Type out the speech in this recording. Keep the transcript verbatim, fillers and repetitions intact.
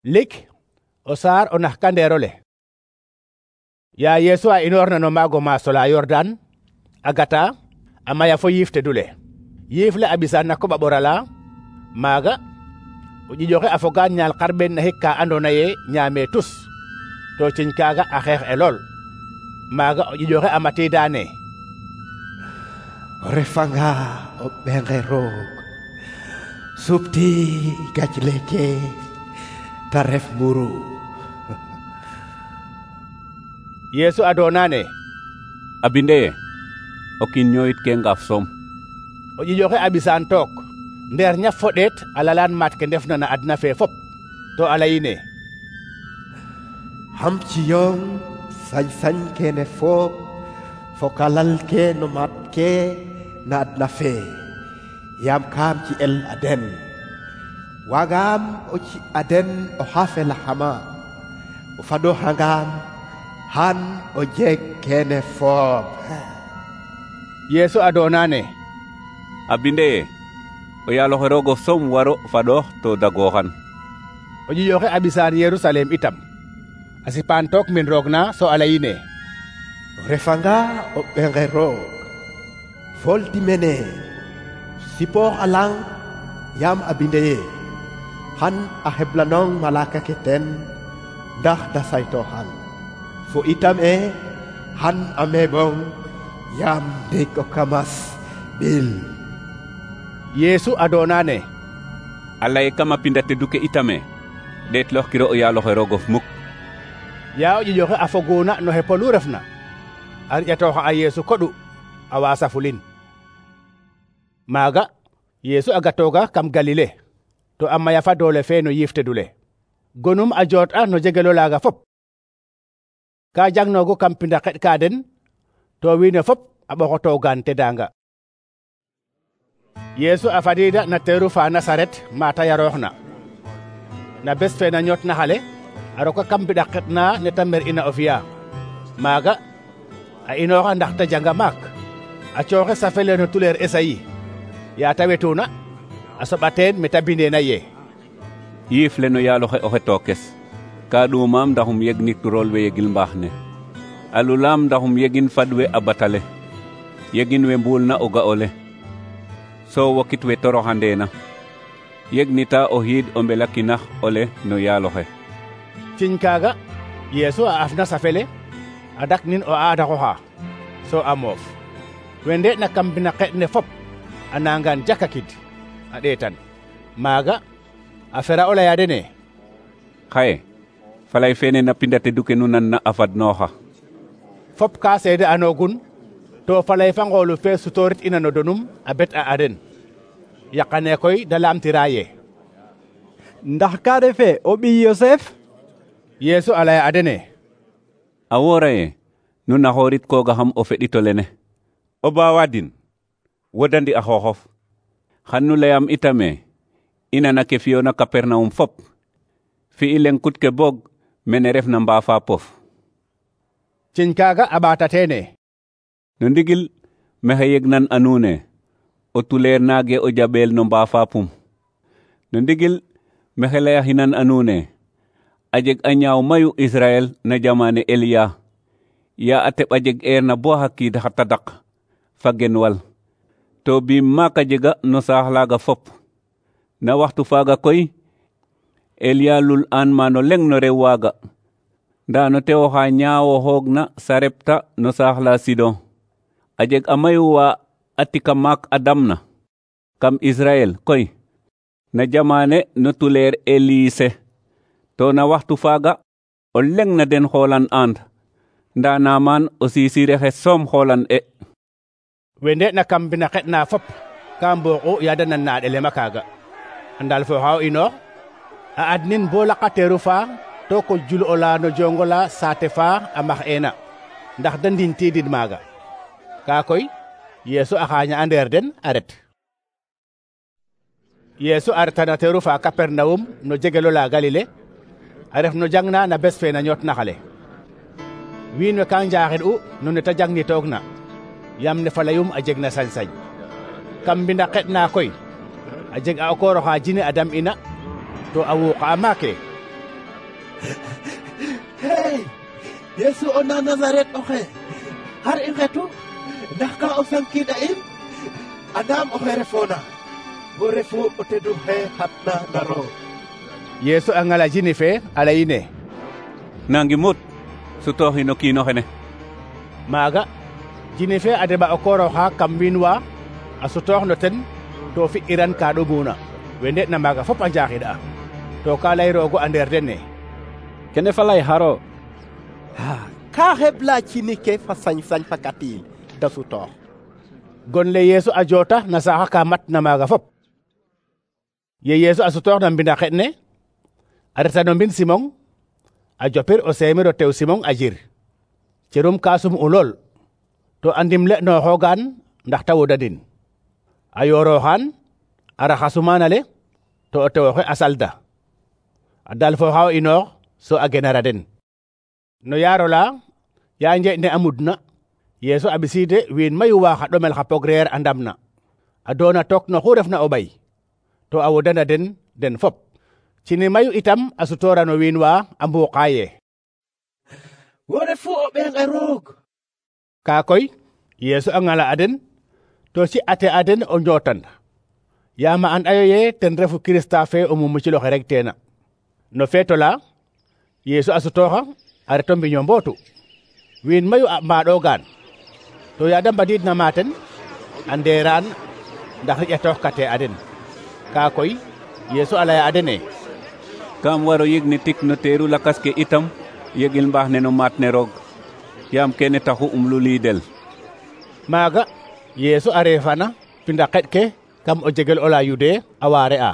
lik o saar o nax kandeerole. Ya Yesu a inoorna no maago maaso la Yordan a gata a maya fo yiif tedule. Yiif le a ɓisaan na koɓa ɓorala maaga o ƴiƴoxe a fogaan ñaal xarɓeen na xik ka andoona ye ñaame tus to ciñ kaaga a xeex e lool. Maaga o ƴiƴoxe a matiidaane: o refanga o ɓenge roog, supti gac leke ta ref mburu. Yesu a doonaane: a bindee o kiin ñooyit ke ngaaf soom. o ƴiƴoxe a ɓisaan took ndeer ñaf fo ɗeet a lalaan maat ke ndefna na adna fe fop, to a layine: xam ciyong sañ-sañ kene fop fo kalal ke no maat ke na adna fe, yaam kaam ci el a den. Wagaam o ci a den o xa felaxama, o fadoxangaam xan o jeg kene fop. Yesu a doonaane: a bindee o yaaloxe roog of soom waro fadoox to dagooxan. o ƴiƴoxe a ɓisaan Yerusalem itam a sipaan took min roog na, so a layine: o refanga o ɓenge roog, foldi mene sipoox a lang, yaam a bindeye xan a xeblanong malaka ke ten ndax da saytooxan. Fo itam e xan a meɓong yaam ndeg o kamas ɓil. Yesu a doonaane: a lay kama pinda tedu ke itame ɗeetloox kiro o yaaloxe roogof muk. Ya o ƴiƴoxe a foguuna no xe polu refna a riƴatooxa a Yesu koɗu a waasa fulin. Maaga Yesu a gatooga kam Galile, to a maya fa doole fe no yiif tedule. Gonum a joot'a no jegelo laaga fop. Ka jangnoogu kam pinda xeɗ ka den, to wiin we fop a ɓoxotoogaan tedanga. Yesu a fadiida na teeru fa Nasaret ma ta yarooxna. Na bes fe na ñootna xale a roka kam mbiɗa xet na ne ta mer ina o fi'a. Maaga a inooxa ndax ta janga maak, a cooxe safele no tuleer Esayi, ya ta wetuna a soɓa teen me ta bindeena ye: yiif le no yaaloxe oxe tookes, ka ɗuumaam ndaxum yegnik turool we yegil mbaax ne. a lulaam ndaxum yegin fad we a batale, yegin we mbuul na o ga'ole, so wokit we toroxandeena, yegnita o xiid o mbelakinax ole no yaaloxe. ciñ kaaga Yesu a afna safele a daknin o aadaxoxa, so a moof. We nde'na kam mbina xeɗ ne fop a nangaan jakakid a ɗeetan. Maaga a fera o laya dene: xaye falay fene na pinda tedu ke nu nan na a fadnooxa. Fop ka seede anoogun, to falay fa ngoolu fe sutoorit ina no donum a bet a aden. Yaqane koy da laamtira ye: ndax ka refe o ɓiy Yosef? Yesu a laya a dene: a woora ye nu naxoorit kooga xam o feɗito lene. o baawadin wodandi a xooxof. xan nu layam itame i nana ke fi'oona Kapernawum fop, fi'i leŋkut ke boog mene refna mbaafa pof. ciñ kaaga a ɓaata teene: no ndigil mexe yegnan a nuune o tuleer naage o jaɓeel no mbaafa pum. no ndigil mexe layaxinan a nuune a jeg a ñaaw mayu Israel na jamane Eliya, ya a teɓ a jeg eer na bo xa kiid xa tadak fa genwal. to biim maaka jega no saax laaga fop. na waxtu faaga koy Eliya lul aan ma no leŋ no rew waaga, ndaa no tew oxa ñaawo xoogna Sarepta no saax la Sidon. a jeg a mayu wa a tika maak a damna kam Israel koy na jamane no tuleer Elise. to na waxtu faaga o leŋ na den xoolan and, ndaa Naaman o siisirexe soom xoolan e. we nde'na kam mbina xeɗ na fop ka mbooxu yaada nan na a ɗelema kaaga. a ndal fo xa o inoox a adnin bo laqateeru fa to ko jul ola no jongola saate fa a max eena, ndax da ndintiidin maaga. Kaa koy Yesu a xaaña a ndeer den a ret. Yesu a reta na teeru fa Kapernawum no jegelo la Galile, a ref no jangna na bes fe na ñootna xale. Wiin we ka njaaxid'u no ne ta jangnitoogna, yam ne falayum a jeg na sañ-sañ. Kam mbinda xeɗ na koy a jeg a o koor oxa jine a dam'ina, to a wuuqa a maake. hey Yesu o na Nazaret oxe har i ngetu ndax ka o sankida in andaam oxe refoona bo refu o tedu xe xatna na roog. Yesu a ngala jini fe a leyine nangi mut sutooxin o kiino xene. maaga jini fe a deɓa o kooroxa kam wiin wa a sutoox no ten to fi iran ka ɗomuna we ndeɗna maaga fop a njaaxid a to ka ley roogu a ndeer den ne kene fa lay xaro ka xebla cini ke fa sañ-sañ fa katil da sutoox. gon le Yesu a joota na saaxa ka mat na maaga fop. ye Yesu a sutoox na mbina xeɗ ne a reta no mbin Simon a jopir o seemir o tew Simon a jir cerum ka sum u lool to a ndimle nooxoogaan ndax ta wodadin a yoorooxaan a raxasu maana le to o tew oxe a salda a dalfooxa o inoox so a genara den. no yaaro la yaa njeeƴ ne a mudna Yesu a ɓisiide wiin mayu wa xa ɗomel xa pog reer a ndamna a doona took no xu refna o ɓay to a wodana den den fop. cini mayu itam a sutoora no wiin wa a mbuuqaaye wo refu o ɓeenge roog. kaa koy Yesu a ngala a den to ci ate a den o njootan yaama an ayo ye ten refu Kirista fe o mumuciloxe rek teena. no feeto la Yesu a sutooxa a reto mbiño mbootu wiin mayu a mbaɗoogaan to yaada mbadiidna ma ten a ndeeraan ndax riƴatoox kate a den. kaa koy Yesu a laya a dene kam waro yeg ni tik no teeru lakas ke itam yegil mbaax ne no maat ne roog yaam kene taxu um lu liidel. maaga Yesu a reefana pinda xeɗ ke kam o jegel o la Yude a waare a